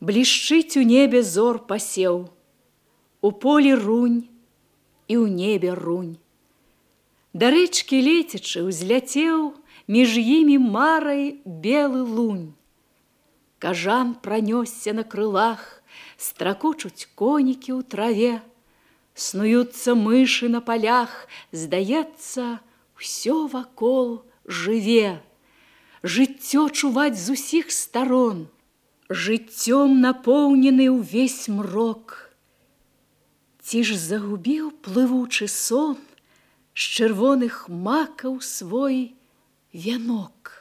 Блішчыць у небе зор пасеў, у полі рунь і ў небе рунь. Да рэчкі лецячы ўзляцеў між імі марай белы лунь. Кажан пранёсся на крылах, стракочуць конікі ў траве, снуюцца мышы на палях, здаецца, усё вакол жыве. Жыццё чуваць з усіх старон, жыццём напоўнены ўвесь мрок. Ці ж загубіў плывучы сон з чырвоных макаў свой вянок?